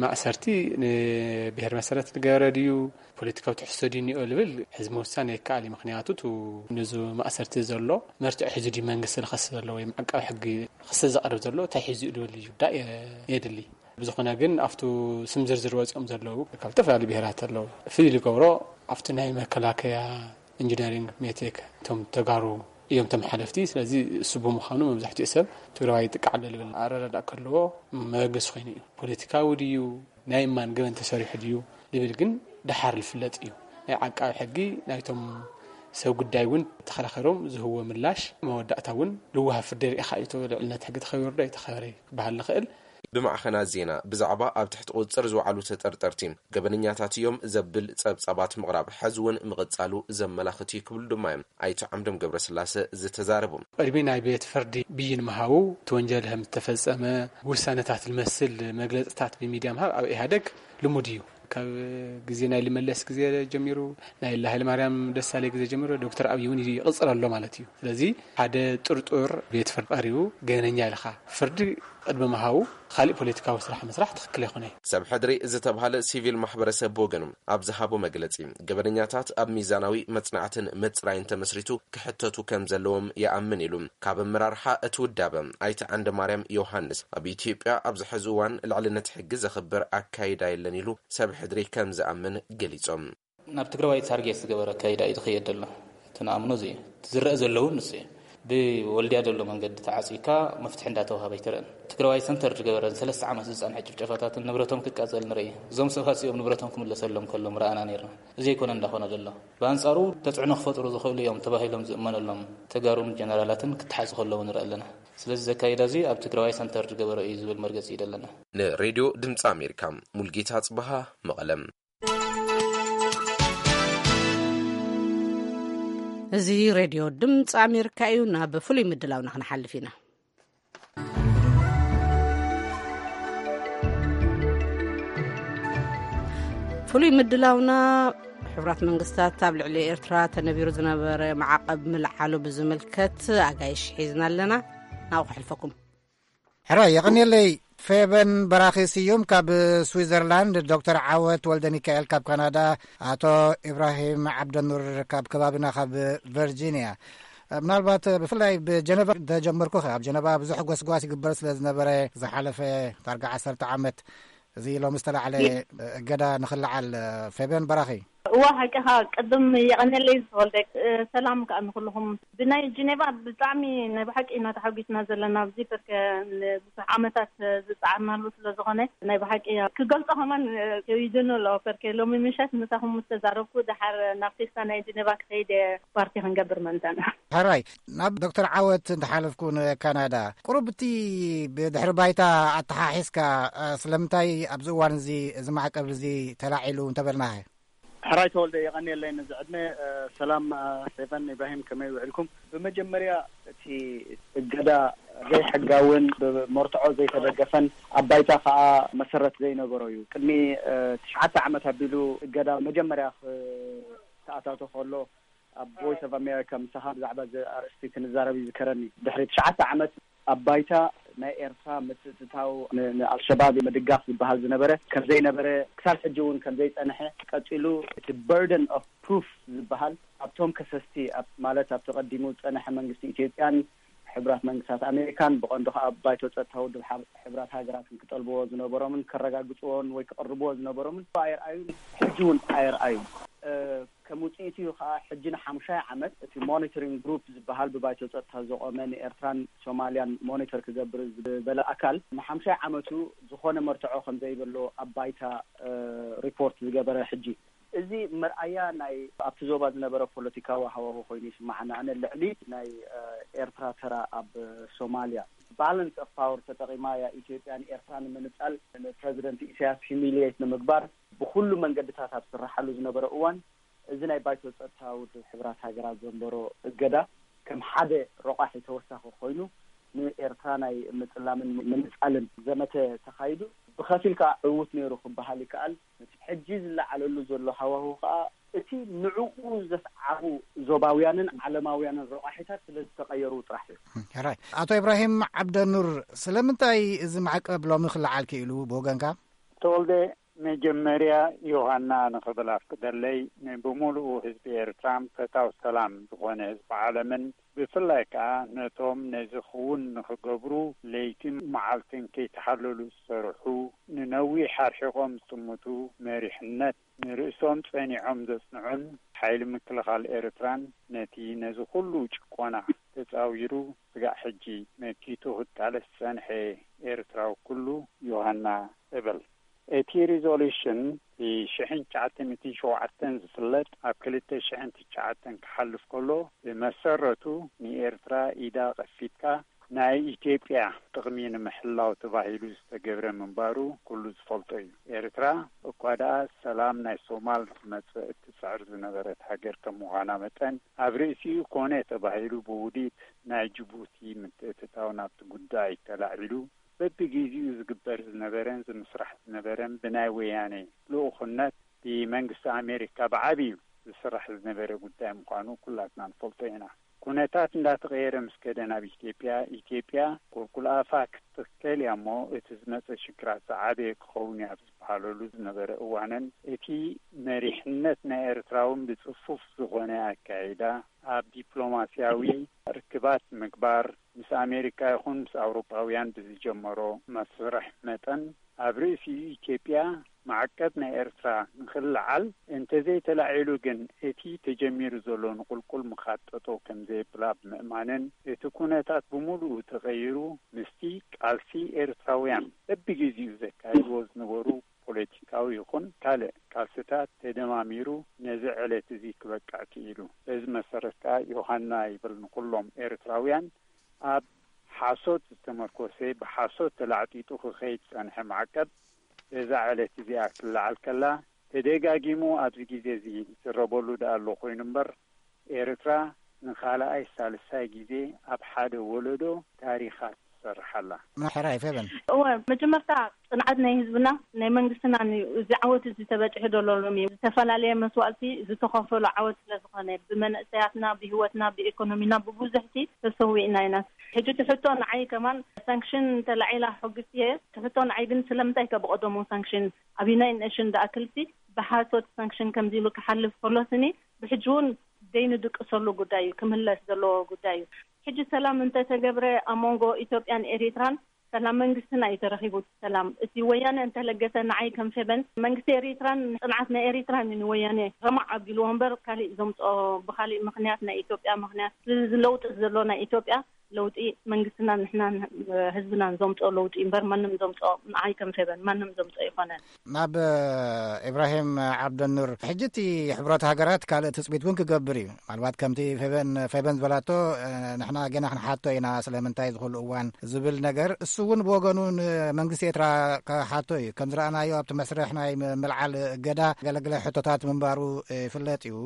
ማእሰርቲ ን- ብሔር መሰረት ዝገበረ ድዩ፣ ፖለቲካዊ ትሕዝቶ ድዩ እኒኦ ልብል ሕዚ ምውሳን የከኣል እዩ። ምክንያቱ፣ እቲ ነዚ ማእሰርቲ ዘሎ መርትዖ ሒዙ ድዩ መንግስቲ ዝኸሲ ዘሎ ወይም ዓቃቢ ሕጊ ክሲ ዘቕርብ ዘሎ እንታይ ሒዙ እዩ ልብል እዩ ጉዳይ የድሊ። ብዝኾነ ግን፣ ኣብቱ ስም ዝርዝር ወፂኦም ዘለዉ ካብ ዝተፈላለዩ ብሔራት ኣለዉ። ፍልይ ዝገብሮ ኣብቲ ናይ መከላከያ፣ ኢንጂነሪንግ፣ ሜቴክ እቶም ተጋሩ እዮም እቶም ሓለፍቲ። ስለዚ እሱ ብምዃኑ መብዛሕትኡ ሰብ ትግራዋይ ይጥቃዕ ኣሎ ልብል ኣረዳድኣ ከለዎ መበገሲ ኮይኑ እዩ። ፖለቲካዊ ድዩ፣ ናይ እማን ገበን ተሰሪሑ ድዩ ልብል ግን ደሓር ዝፍለጥ እዩ። ናይ ዓቃቢ ሕጊ ናይቶም ሰብ ጉዳይ እውን ተኸራኸሮም ዝህዎ ምላሽ መወዳእታ እውን ልዋሃብ ፍርዲ ርኢኻ እዩ። ልዕልነት ሕጊ ተኸቢሩ ዶ ኣይተኸበረ ክበሃል ዝኽእል። ብማዕኸናት ዜና ብዛዕባ ኣብ ትሕቲ ቁፅፅር ዝወዓሉ ተጠርጠርቲ ገበነኛታት እዮም ዘብል ፀብፃባት ምቕራብ ሕዚ እውን ምቕፃሉ ዘመላኽት እዩ ክብሉ ድማ እዮም ኣይተ ዓምዶም ገብረስላሰ ዝተዛረቡ። ቅድሚ ናይ ቤት ፍርዲ ብይን ምሃቡ፣ እቲ ወንጀል ከም ዝተፈጸመ ውሳነታት ዝመስል መግለጽታት ብሚድያ ምሃብ ኣብ ኢህኣደግ ልሙድ እዩ። ካብ ግዜ ናይ ልመለስ ግዜ ጀሚሩ፣ ናይ ሃይለማርያም ደሳለኝ ግዜ ጀሚሩ፣ ዶክተር ኣብይ እውን ይቕጽል ኣሎ ማለት እዩ። ስለዚ ሓደ ጥርጡር ቤት ፍርዲ ቀሪቡ ገበነኛ ኢልካ ፍርዲ ቅድሚ ምሃቡ፣ ካልእ ፖለቲካዊ ስራሕ ምስራሕ ትኽክል ኣይኮነይ። ሰብ ሕድሪ ዝተባህለ ሲቪል ማሕበረሰብ ብወገኑ ኣብ ዝሃቦ መግለጺ፣ ገበነኛታት ኣብ ሚዛናዊ መጽናዕትን ምጽራይን ተመስሪቱ ክሕተቱ ከም ዘለዎም ይኣምን ኢሉ። ካብ ኣመራርሓ እቲ ውዳበ ኣይተ ዓንደማርያም ዮሃንስ፣ ኣብ ኢትዮጵያ ኣብዚ ሕዚ እዋን ልዕልነት ሕጊ ዘኽብር ኣካይዳ የለን ኢሉ ሰብ ሕድሪ ከም ዝኣምን ገሊጾም። ናብ ትግራዋይ ታርጌት ዝገበረ ኣካይዳ እዩ ዝኸየድ ዘሎ። እቲ ንኣምኖ እዚ እዩ። እቲ ዝረአ ዘለውን ንሱ እዩ። ብወልድያ ዘሎ መንገዲ ተዓፂካ መፍትሒ እንዳተዋሃበ ኣይትረእን። ትግራዋይ ሰንተር ዝገበረን ሰለስተ ዓመት ዝፀንሐ ጭፍጨፋታትን ንብረቶም ክቃፀል ንርኢ። እዞም ሰባት እዚኦም ንብረቶም ክምለሰሎም ከሎም ረኣና ነይርና። እዚ ኣይኮነ እንዳኾነ ዘሎ። ብኣንፃሩ ተፅዕኖ ክፈጥሩ ዝኽእሉ እዮም ተባሂሎም ዝእመነሎም ተጋሩን ጀነራላትን ክተሓዙ ከለዉ ንርኢ ኣለና። ስለዚ ዘካይዳ እዚ ኣብ ትግራዋይ ሰንተር ዝገበረ እዩ ዝብል መርገፂ እዩ ዘለና። ንሬድዮ ድምፂ ኣሜሪካ ሙልጌታ ጽበሃ፣ መቐለም። እዚ ሬድዮ ድምፂ ኣሜሪካ እዩ። ናብ ፍሉይ ምድላውና ክንሓልፍ ኢና። ፍሉይ ምድላውና፣ ሕቡራት መንግስታት ኣብ ልዕሊ ኤርትራ ተነቢሩ ዝነበረ ማዕቐብ ምልዓሉ ብዝምልከት ኣጋይሽ ሒዝና ኣለና። ናብኡ ከሕልፈኩም። ሕራይ የቐንየለይ። ፌበን በራኺ ስዩም ካብ ስዊዘርላንድ፣ ዶክተር ዓወት ወልደ ሚካኤል ካብ ካናዳ፣ ኣቶ ኢብራሂም ዓብደኑር ካብ ከባቢና ካብ ቨርጂንያ። ምናልባት ብፍላይ ብጀነቫ ተጀመርኩ። ኣብ ጀነቫ ብዙሕ ጎስጓስ ይግበር ስለ ዝነበረ፣ ዝሓለፈ ዳርጋ ዓሰርተ ዓመት፣ እዚ ሎሚ ዝተላዕለ እገዳ ንኽልዓል። ፌበን በራኺ። እዋ፣ ሓቂኻ። ቅድም የቐንየለይ ዝተወልደ። ሰላም ከኣ ንኹልኹም። ብናይ ጀኔቫ ብጣዕሚ ናይ ብሓቂ ኢና ተሓጒስና ዘለና ኣብዚ፣ በርከ ንብዙሕ ዓመታት ዝጸዓርናሉ ስለ ዝኾነ፣ ናይ ብሓቂ ክገልጾ ከማን ከቢዱኒ ኣሎ። በርከ ሎሚ ምሸት ምሳኹም ምስ ተዛረብኩ፣ ደሓር ናብ ፌስታ ናይ ጀኔቫ ክኸይድ እየ፣ ፓርቲ ክንገብር መእንታና። ሕራይ፣ ናብ ዶክተር ዓወት እንተሓለፍኩ፣ ንካናዳ፣ ቁሩብ እቲ ብድሕሪ ባይታ ኣተሓሒዝካ፣ ስለምንታይ ኣብዚ እዋን እዚ፣ እዚ ማዕቀብ እዚ ተላዒሉ እንተበልናኸ? ሕራይ ተወልደ፣ የቐንየለይ ነዚ ዕድመ። እ፣ ሰላም፣ እ፣ ፌቨን ኢብራሂም፣ ከመይ ውዒልኩም? ብመጀመርያ፣ እቲ እገዳ ዘይሕጋውን ብመርትዖ ዘይተደገፈን ኣብ ባይታ ከኣ መሰረት ዘይነበሮ እዩ። ቅድሚ፣ እ፣ ትሽዓተ ዓመት ኣቢሉ እገዳ መጀመርያ ክተኣታቶ ከሎ፣ ኣብ ቮይስ ኦፍ ኣሜሪካ ምሳኻ ብዛዕባ እዚ ኣርእስቲ ክንዛረብ ይዝከረኒ። ድሕሪ ትሽዓተ ዓመት ኣብ ባይታ ናይ ኤርትራ ምትእትታው ን-፣ ንኣልሸባብ ምድጋፍ ዝበሃል ዝነበረ ከም ዘይነበረ፣ ክሳብ ሕጂ እውን ከም ዘይጸንሐ፣ ቀጺሉ እቲ በርደን ኦፍ ፕሩፍ ዝበሃል ኣብቶም ከሰስቲ፣ ኣብ፣ ማለት ኣብቲ ቀዲሙ ዝጸንሐ መንግስቲ ኢትዮጵያን ሕቡራት መንግስታት ኣሜሪካን፣ ብቐንዱ ከኣ ኣብ ባይቶ ጸጥታ ውድብ ሓብ-፣ ሕቡራት ሃገራትን ክጠልብዎ ዝነበሮምን ከረጋግጽዎን ወይ ክቕርብዎ ዝነበሮምን ኣይርኣዩን፣ ሕጂ እውን ኣይርኣዩን። እ፣ ከም ውጽኢቱ እዩ ከኣ፣ ሕጂ ንሓሙሻይ ዓመት እቲ ሞኒተሪንግ ግሩፕ ዝበሃል ብባይቶ ጸጥታ ዝቖመ ንኤርትራን ሶማልያን ሞኒተር ክገብር ዝበለ ኣካል፣ ንሓሙሻይ ዓመቱ ዝኾነ መርትዖ ከም ዘይብሉ ኣብ ባይታ፣ እ፣ ሪፖርት ዝገበረ። ሕጂ እዚ መርኣያ ናይ ኣብቲ ዞባ ዝነበረ ፖለቲካዊ ሃዋሁ ኮይኑ ይስምዓኒ። ኣነ ልዕሊ ናይ፣ እ፣ ኤርትራ ተራ ኣብ ሶማልያ፣ ባላንስ ኦፍ ፓወር ተጠቒማ እያ ኢትዮጵያ ንኤርትራ ንምንጻል፣ ንፕረዚደንት ኢሳያስ ሂሚሊየት ንምግባር ብኹሉ መንገድታት ኣብ ዝስርሓሉ ዝነበረ እዋን፣ እዚ ናይ ባይቶ ጸጥታ ውድብ ሕቡራት ሃገራት ዘንበሮ እገዳ ከም ሓደ ረቋሒ ተወሳኺ ኮይኑ፣ ንኤርትራ ናይ ምጽላምን ምንጻልን ዘመተ ተኻይዱ። ብኸፊል ከኣ ዕዉት ነይሩ ክበሃል ይከኣል። ነቲ ሕጂ ዝለዓለሉ ዘሎ ሃዋሁ ከኣ፣ እቲ ንዕኡ ዘስዓቡ ዞባውያንን ዓለማውያንን ረቋሒታት ስለ ዝተቐየሩ ጥራሕ እዩ። ሕራይ። ኣቶ ኢብራሂም ዓብደኑር፣ ስለምንታይ እዚ ማዕቀብ ሎሚ ክለዓል ክኢሉ ብወገንካ? ተወልደ፣ መጀመርያ ዮሃና ንኽብል ኣፍቅደለይ፣ ንብምሉኡ ህዝቢ ኤርትራን ፈታው ሰላም ዝኾነ ህዝቢ ዓለምን፣ ብፍላይ ከኣ ነቶም ነዚ ክውን ንኽገብሩ ለይትን መዓልትን ከይተሓለሉ ዝሰርሑ፣ ንነዊሕ ኣርሒቖም ዝጥምቱ፣ መሪሕነት ንርእሶም ጸኒዖም ዘጽንዑን፣ ሓይሊ ምክልኻል ኤርትራን ነቲ ነዚ ኩሉ ጭቆና ተጻዊሩ ስጋዕ ሕጂ መኪቱ ክቃለስ ዝጸንሐ ኤርትራዊ ኩሉ ዮሃና እብል። እቲ ሪዞሉሽን ብሽሕን ትሽዓተ ሚእትን ሸውዓተን ዝፍለጥ ኣብ ክልተ ሽሕን ትሽዓተን ክሓልፍ ከሎ፣ ብመሰረቱ ንኤርትራ ኢዳ ቐፊትካ ናይ ኢትዮጵያ ጥቕሚ ንምሕላው ተባሂሉ ዝተገብረ ምንባሩ ኩሉ ዝፈልጦ እዩ። ኤርትራ እኳ ደኣ ሰላም ናይ ሶማል ክመጽእ እትጽዕር ዝነበረት ሃገር ከም ምዃና መጠን፣ ኣብ ርእሲኡ ኮነ ተባሂሉ ብውዲት ናይ ጅቡቲ ምትእትታው ናብቲ ጉዳይ ተላዒሉ በብግዜኡ ዝግበር ዝነበረን ዝምስራሕ ዝነበረን ብናይ ወያኔ ልኡኽነት ብመንግስቲ ኣሜሪካ ብዓብዩ ዝስራሕ ዝነበረ ጉዳይ ምዃኑ ኩላትና ንፈልጦ ኢና። ኩነታት እንዳተቐየረ ምስ ከደ ናብ ኢትዮጵያ፣ ኢትዮጵያ ቁልቁል ኣፋ ክትተከል እያ እሞ፣ እቲ ዝመጸ ሽግራት ዝዓበየ ክኸውን እዩ ኣብ ዝበሃለሉ ዝነበረ እዋንን፣ እቲ መሪሕነት ናይ ኤርትራ እውን ብጽፉፍ ዝኾነ ኣካይዳ ኣብ ዲፕሎማስያዊ ርክባት ምግባር፣ ምስ ኣሜሪካ ይኹን ምስ ኣውሮጳውያን ብዝጀመሮ መስርሕ መጠን፣ ኣብ ርእሲ ኢትዮጵያ ማዕቀብ ናይ ኤርትራ ንኽልዓል እንተዘይተላዒሉ ግን፣ እቲ ተጀሚሩ ዘሎ ንቁልቁል ምኻድ ጠጠው ከምዘየብላ ብምእማንን፣ እቲ ኩነታት ብምሉኡ ተቐይሩ፣ ምስቲ ቃልሲ ኤርትራውያን በብግዜኡ ዘካይድዎ ዝነበሩ ፖለቲካዊ ይኹን ካልእ ቃልስታት ተደማሚሩ፣ ነዚ ዕለት እዚ ክበቅዕ ክኢሉ። በዚ መሰረት ከኣ ዮሃና ይብል ንኹሎም ኤርትራውያን፣ ኣብ ሓሶት ዝተመርኮሰ፣ ብሓሶት ተላዕጢጡ ክኸይድ ዝጸንሐ ማዕቀብ፣ በዛ ዕለት እዚኣ ክትለዓል ከላ፣ ተደጋጊሙ ኣብዚ ግዜ እዚ ይዝረበሉ ደኣ ኣሎ ኮይኑ እምበር፣ ኤርትራ ንኻልኣይ ሳልሳይ ግዜ ኣብ ሓደ ወለዶ ታሪኻ ትሰርሕ ኣላ። ሕራይ ፌበን። እወ፣ መጀመርታ ጽንዓት ናይ ህዝብና ናይ መንግስትና እዩ። እዚ ዓወት እዚ ተበጺሑ ዘሎ ሎሚ ዝተፈላለየ መስዋእቲ ዝተኸፈሎ ዓወት ስለ ዝኾነ፣ ብመንእሰያትና፣ ብህይወትና፣ ብኢኮኖሚና፣ ብብዙሕቲ ተሰዊእና ኢና። ሕጂ ትሕቶ ንዓይ ከማን ሳንክሽን ተላዒላ ሕጉስቲ እየ። ትሕቶ ንዓይ ግን ስለምንታይ ከ ብቐደሙ ሳንክሽን ኣብ ዩናይትድ ኔሽን ዝኣክልሲ ብሓሶት ሳንክሽን ከምዚ ኢሉ ክሓልፍ ከሎ ስኒ ብሕጂ እውን ዘይንድቅሰሉ ጉዳይ እዩ፣ ክምለስ ዘለዎ ጉዳይ እዩ። ሕጂ ሰላም እንተተገብረ ኣብ መንጎ ኢትዮጵያን ኤሪትራን ሰላም መንግስትና እዩ ተረኺቡ። ሰላም እቲ ወያነ እንተለገሰ ንዓይ ከም ፌበን መንግስቲ ኤሪትራን ጽንዓት ናይ ኤሪትራን እዩ ንወያነ ረማዕ ኣቢልዎ እምበር ካሊእ ዘምጽኦ ብካሊእ ምኽንያት ናይ ኢትዮጵያ ምኽንያት እዚ ለውጢ ዘሎ ናይ ኢትዮጵያ ለውጢ መንግስትና ንሕና ህዝብናን ዘምጽኦ ለውጢ እምበር ማንም ዘምጽኦ ንዓይ ከም ፌበን ማንም ዘምጽኦ ይኾነ። ናብ ኢብራሂም ዓብደኑር፣ ሕጂ እቲ ሕብረት ሃገራት ካልእ ትጽቢት እውን ክገብር እዩ። ምናልባት ከምቲ ፌበን ፌበን ዝበላቶ ንሕና ገና ክንሓቶ ኢና ስለምንታይ ዝኹሉ እዋን ዝብል ነገር፣ እሱ እውን ብወገኑ ንመንግስቲ ኤርትራ ክሓቶ እዩ። ከም ዝረኣናዮ ኣብቲ መስርሕ ናይ ምልዓል እገዳ ገለገለ ሕቶታት ምንባሩ ይፍለጥ እዩ።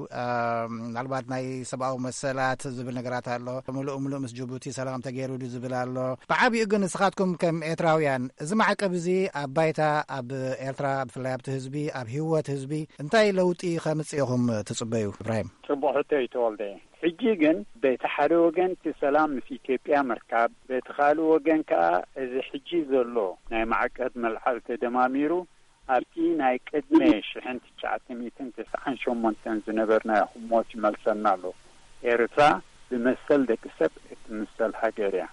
ምናልባት ናይ ሰብኣዊ መሰላት ዝብል ነገራት ኣሎ። ምሉእ ምሉእ ምስ ጅቡቲ ሰላም ተገይሩ ድዩ ዝብል ኣሎ። ብዓቢኡ ግን ንስኻትኩም ከም ኤርትራውያን እዚ ማዕቀብ እዚ ኣብ ባይታ ኣብ ኤርትራ ብፍላይ ኣብቲ ህዝቢ ኣብ ህይወት ህዝቢ እንታይ ለውጢ ከምጽእ ኢኹም ትጽበዩ? ኢብራሂም። ጽቡቕ ሕቶ እዩ ተወልደ። ሕጂ ግን በቲ ሓደ ወገን እቲ ሰላም ምስ ኢትዮጵያ ምርካብ፣ በቲ ካልእ ወገን ከኣ እዚ ሕጂ ዘሎ ናይ ማዕቀብ መልዓል ተደማሚሩ ኣብቲ ናይ ቅድመ ሽሕን ትሽዓተ ሚእትን ተስዓን ሸሞንተን ዝነበርናዮ ህሞት ይመልሰና ኣሎ። ኤርትራ ብመሰል ደቂ ሰብ እትምሰል ሃገር እያ።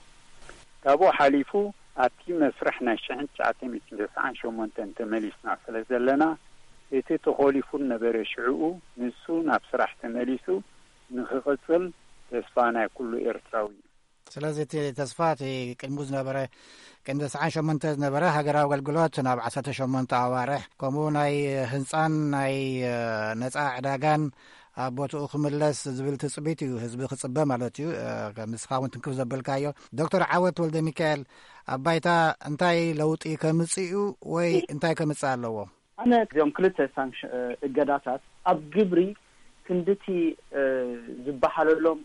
ካብኡ ሓሊፉ ኣብቲ መስርሕ ናይ ሽሕን ትሽዓተ ሚእትን ተስዓን ሸሞንተን ተመሊስና ስለ ዘለና፣ እቲ ተኾሊፉ ነበረ ሽዕኡ ንሱ ናብ ስራሕ ተመሊሱ ንኽቕጽል ተስፋ ናይ ኩሉ ኤርትራዊ እዩ። ስለዚ እቲ ተስፋ እቲ ቅድሙ ዝነበረ ቅድሚ ተስዓን ሸሞንተ ዝነበረ ሃገራዊ ኣገልግሎት ናብ ዓሰርተ ሸሞንተ ኣዋርሕ ከምኡ ናይ ህንጻን ናይ ነጻ ዕዳጋን ኣብ ቦትኡ ክምለስ ዝብል ትጽቢት እዩ ህዝቢ ክጽበ ማለት እዩ። ንስኻ እውን ትንክፍ ዘበልካዮ ዶክተር ዓወት ወልደ ሚካኤል ኣብ ባይታ እንታይ ለውጢ ከምጽእ እዩ ወይ እንታይ ከምጽእ ኣለዎ? ኣነ እዚኦም ክልተ ሳንክሽን እገዳታት ኣብ ግብሪ ክንድቲ ዝበሃለሎም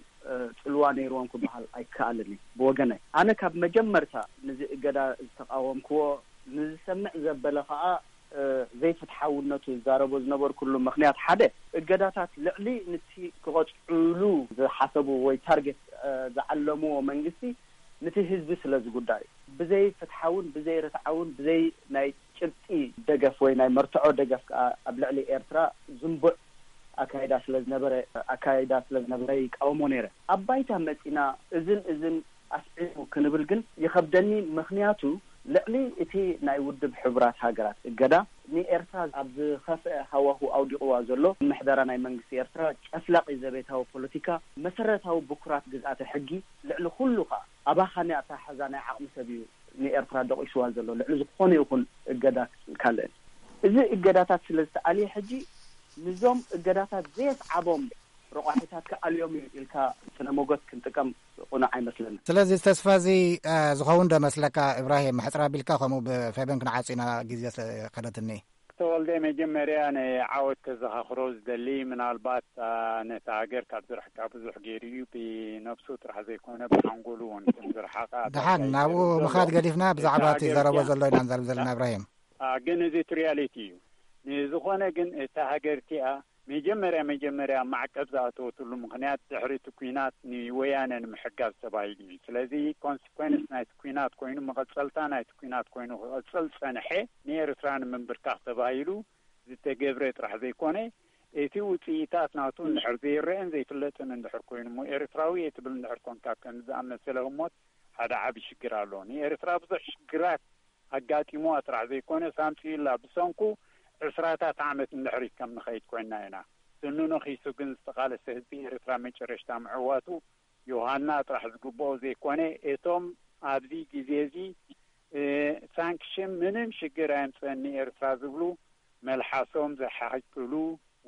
ጽልዋ ነይርዎም ክበሃል ኣይከኣልን እዩ። ብወገነይ ኣነ ካብ መጀመርታ ንዚ እገዳ ዝተቃወምክዎ፣ ንዝሰምዕ ዘበለ ከዓ ዘይፍትሓውነቱ ዝዛረቦ ዝነበርኩሉ ምክንያት ሓደ እገዳታት ልዕሊ ንቲ ክቐጽዕሉ ዝሓሰቡ ወይ ታርጌት ዝዓለምዎ መንግስቲ ንቲ ህዝቢ ስለ ዝጉዳዩ ብዘይ ፍትሓውን ብዘይ ርትዓውን ብዘይ ናይ ጭብጢ ደገፍ ወይ ናይ መርትዖ ደገፍ ከዓ ኣብ ልዕሊ ኤርትራ ዝንቡዕ ኣካይዳ ስለ ዝነበረ ኣካይዳ ስለ ዝነበረ ይቃወሞ ነይረ። ኣብ ባይታ መጺና እዝን እዝን ኣስዒቡ ክንብል ግን ይኸብደኒ። ምኽንያቱ ልዕሊ እቲ ናይ ውድብ ሕቡራት ሃገራት እገዳ ንኤርትራ ኣብ ዝኸፍአ ሃዋሁ ኣውዲቕዋ ዘሎ ምሕደራ ናይ መንግስቲ ኤርትራ ጨፍላቂ ዘቤታዊ ፖለቲካ መሰረታዊ ብኩራት ግዝኣተ ሕጊ ልዕሊ ኩሉ ከዓ ኣባኻኒ ኣተሓሕዛ ናይ ዓቕሚ ሰብ እዩ ንኤርትራ ደቂስዋ ዘሎ ልዕሊ ዝኾነ ይኹን እገዳ ካልእን። እዚ እገዳታት ስለ ዝተኣልየ ሕጂ ንዞም እገዳታት ዘየስዓቦም ረቋሒታት ክኣልዮም እዩ ኢልካ ስነ ሞገት ክንጥቀም ቁኑዕ ኣይመስለኒ። ስለዚ ተስፋ እዚ ዝኸውን ዶ መስለካ? እብራሂም፣ ሕፅር ኣቢልካ ከምኡ ብፌበን ክንዓፂና ግዜ ከደትኒ። ተወልደ፣ መጀመርያ ናይ ዓወት ተዘኻኽሮ ዝደሊ ምናልባት ነቲ ሃገር ካብ ዝርሕቃ ብዙሕ ገይሩ እዩ። ብነብሱ ጥራሕ ዘይኮነ ብሓንጎሉ እውን ከም ዝረሓቐ ደሓን ናብኡ ምኻድ ገዲፍና ብዛዕባ እቲ ዘረቦ ዘሎ ኢና ንዛረብ ዘለና። እብራሂም፣ ግን እዚ እቲ ሪያሊቲ እዩ። ንዝኾነ ግን እታ ሃገር እቲኣ መጀመርያ መጀመርያ ማዕቀብ ዝኣተወትሉ ምኽንያት ድሕሪ እቲ ኲናት ንወያነ ንምሕጋዝ ተባሂሉ እዩ። ስለዚ ኮንሲኮንስ ናይቲ ኲናት ኮይኑ፣ መቐጸልታ ናይቲ ኲናት ኮይኑ ክቐጽል ጸንሐ። ንኤርትራ ንምንብርካኽ ተባሂሉ ዝተገብረ ጥራሕ ዘይኮነ፣ እቲ ውጽኢታት ናቱ እንድሕር ዘይረአን ዘይፍለጥን እንድሕር ኮይኑ እሞ፣ ኤርትራዊ እየ ትብል እንድሕር ኮንካ፣ ከም ዝኣመሰለ ህሞት ሓደ ዓቢ ሽግር ኣሎ። ንኤርትራ ብዙሕ ሽግራት ኣጋጢምዋ ጥራሕ ዘይኮነ፣ ሳምጺኡላ ብሰንኩ ዕስራታት ዓመት እንድሕሪት ከም ንኸይድ ኮይና ኢና። ስኑ ነኺሱ ግን ዝተቓለሰ ህዝቢ ኤርትራ መጨረሽታ ምዕዋቱ ዮሃና ጥራሕ ዝግብኦ ዘይኮነ፣ እቶም ኣብዚ ግዜ እዚ ሳንክሽን ምንም ሽግር ኣየምፅእን ንኤርትራ ዝብሉ መልሓሶም ዝሓቅሉ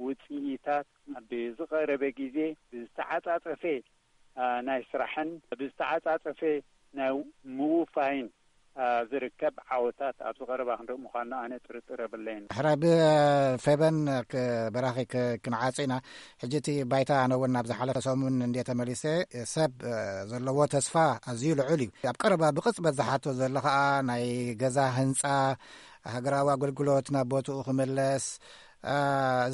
ውፅኢታት ብዝቐረበ ግዜ ብዝተዓፃፀፈ ናይ ስራሕን ብዝተዓፃፀፈ ናይ ምውፋይን ዝርከብ ዓወታት ኣብዚ ቀረባ ክንርኢ ምዃንና ኣነ ጥርጥር የብለይን። ሕራይ ብፌበን በራኺ ክንዓፂ ኢና። ሕጂ እቲ ባይታ ኣነ እውን ናብ ዝሓለፈ ሰሙን እንደ ተመሊሰ ሰብ ዘለዎ ተስፋ ኣዝዩ ልዑል እዩ። ኣብ ቀረባ ብቕፅበት ዝሓቶ ዘሎ ከዓ ናይ ገዛ ህንፃ ሃገራዊ ኣገልግሎት ናብ ቦትኡ ክምለስ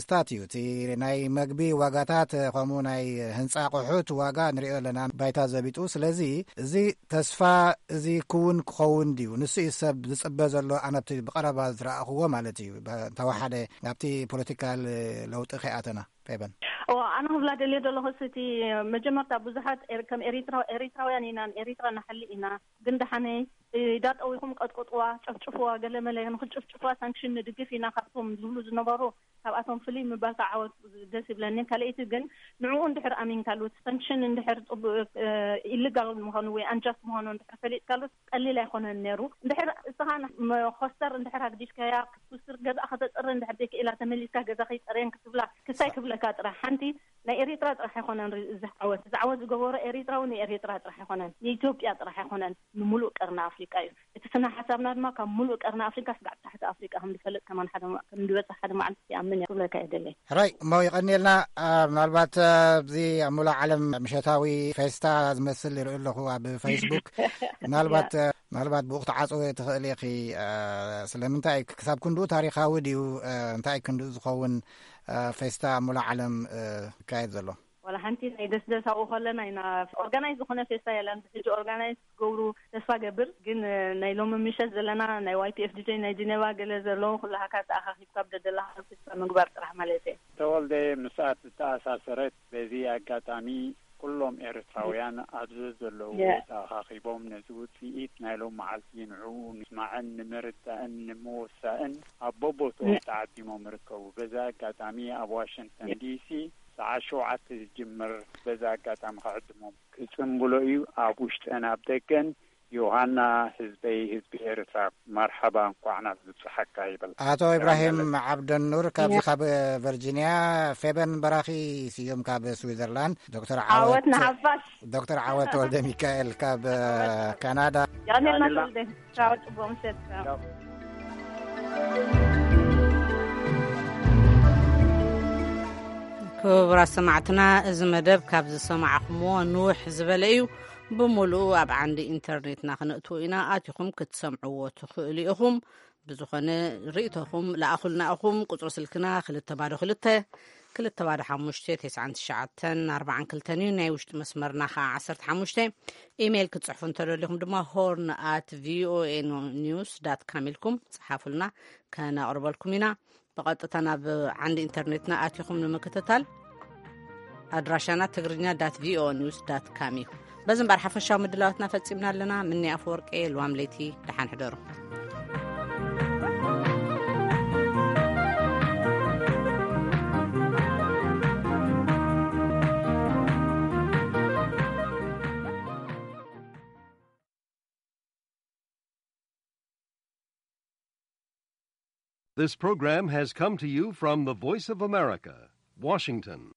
ዝታት እዩ። እቲ ናይ መግቢ ዋጋታት ከምኡ ናይ ህንፃ ኣቑሑት ዋጋ ንሪኦ ኣለና ባይታ ዘቢጡ። ስለዚ እዚ ተስፋ እዚ ክውን ክኸውን ድዩ? ንሱ እዩ ሰብ ዝፅበ ዘሎ። ኣነብቲ ብቐረባ ዝረኣኽዎ ማለት እዩ። እንተወሓደ ናብቲ ፖለቲካል ለውጢ ከይኣተና ፌበን። ኣነ ክብላ ደልየ ዘለኹ እቲ መጀመርታ ብዙሓት ከም ኤሪትራውያን ኢና፣ ኤሪትራ ንሓሊ ኢና፣ ግን ደሓነይ ኢዳ ጠዊኹም ቀጥቅጥዋ፣ ጨፍጭፍዋ፣ ገለ መለ ንክጨፍጭፍዋ ሳንክሽን ንድግፍ ኢና ካብቶም ዝብሉ ዝነበሩ ካብኣቶም ፍልይ ምባልካ ዓወት ደስ ይብለኒ። ካልኣይቲ ግን ንዕኡ እንድሕር ኣሚንካሉ ሳንክሽን እንድሕር ኢልጋል ምዃኑ ወይ ኣንጃስት ምዃኑ እንድሕር ፈሊጥካሉ ቀሊል ኣይኮነን ነይሩ። እንድሕር እስኻ መኾስተር እንድሕር ኣግዲፍካያ ክትኩስር ገዛ ከተፅሪ እንድሕር ዘይክኢላ ተመሊስካ ገዛ ከይፀረየን ክትብላ ክሳይ ክብለካ ጥራሕ ሓንቲ ናይ ኤሪትራ ጥራሕ ኣይኮነን እዚ ዓወት። እዚ ዓወት ዝገበሮ ኤሪትራዊ ንኤሪትራ ጥራሕ ኣይኮነን፣ ንኢትዮጵያ ጥራሕ ኣይኮነን፣ ንምሉእ ቀርኒ ኣፍሪቃ እዩ። እቲ ስነ ሓሳብና ድማ ካብ ምሉእ ቀርኒ ኣፍሪቃ ስጋዕ ታሕቲ ኣፍሪቃ ከም ዝፈልጥ ከማን ሓደ ከም ዝበፅሕ ሓደ መዓልቲ ይኣምን እየ ክብለካ እየ ደለይ። ሕራይ እሞ ይቐኒልና። ምናልባት ኣብዚ ኣብ ሙሉእ ዓለም ምሸታዊ ፌስታ ዝመስል ይርኢ ኣለኹ ኣብ ፌስቡክ። ምናልባት ምናልባት ብኡ ክትዓፅወ ትኽእል ኢኺ። ስለምንታይ ክሳብ ክንድኡ ታሪኻዊ ድዩ? እንታይ ክንድኡ ዝኸውን ፌስታ ኣብ ሙሉእ ዓለም ይካየድ ዘሎ? ዋላ ሓንቲ ናይ ደስደስ ኣብኡ ከለና ኢና። ኦርጋናይዝ ዝኾነ ፌስታ የለን። ብሕጂ ኦርጋናይዝ ክገብሩ ተስፋ ገብር። ግን ናይ ሎሚ ምሸት ዘለና ናይ ዋይ ፒ ኤፍ ዲ ጂ ናይ ጂኔቫ ገለ ዘለዉ ኩላሃካ ተኣኻኺብካ ብደደላኻ ፌስታ ምግባር ጥራሕ ማለት እየ። ተወልደ፣ ምስኣ ዝተኣሳሰረት በዚ ኣጋጣሚ ኩሎም ኤርትራውያን ኣብዚ ዘለዉ ተኣኻኺቦም ነዚ ውፅኢት ናይ ሎም መዓልቲ ንዕኡ ንምስማዕን ንምርዳእን ንምውሳእን ኣብ በቦትኦም ተዓዲሞም ይርከቡ። በዚ ኣጋጣሚ ኣብ ዋሽንግተን ዲሲ ሰዓት ሸውዓተ ዝጅምር በዚ ኣጋጣሚ ክዕድሞም ክጽንብሎ እዩ። ኣብ ውሽጥን ኣብ ደገን ዮሃና ህዝበይ ህዝቢ ኤርትራ መርሓባ እንኳዕ ናብ ዝበጽሓካ ይብል። ኣቶ ኢብራሂም ዓብደኑር ካብዚ ካብ ቨርጂንያ፣ ፌበን በራኺ ስዩም ካብ ስዊዘርላንድ፣ ዶክተር ዓወት ዓወት ንሓፋሽ። ዶክተር ዓወት ወልደ ሚካኤል ካብ ካናዳ። ያኔ ናትወልደ ቻው፣ ጽቡቅ ምሸት። ቻው። ክቡራት ሰማዕትና፣ እዚ መደብ ካብ ዝሰማዕኹምዎ ንውሕ ዝበለ እዩ። ብምሉኡ ኣብ ዓንዲ ኢንተርኔትና ክነእትዎ ኢና። ኣቲኹም ክትሰምዕዎ ትኽእሉ ኢኹም። ብዝኾነ ርእይቶኹም ለኣኹልና ኢኹም። ቁጽሪ ስልክና ክልተ ባዶ ክልተ። ክልተ ባዶ ሓሙሽተ ተስዓን ትሽዓተን ኣርባዓን ክልተን እዩ። ናይ ውሽጢ መስመርና ከዓ ዓሰርተ ሓሙሽተ። ኢሜይል ክትጽሕፉ እንተደሊኹም ድማ ሆርን ኣት ቪኦኤ ኒውስ ዳት ካም ኢልኩም ጽሓፉልና፣ ከነቕርበልኩም ኢና። ብቐጥታ ናብ ዓንዲ ኢንተርኔትና ኣቲኹም ንምክትታል ኣድራሻና ትግርኛ ዳት ቪኦኤ ኒውስ ዳት ካም እዩ። በዚ እምበር ሓፈሻዊ ምድላዋትና ፈጺምና ኣለና። ምኒ ኣፈወርቂ፣ ልዋም ለይቲ፣ ደሓን ሕደሩ። This program has come to you from the Voice of America, Washington.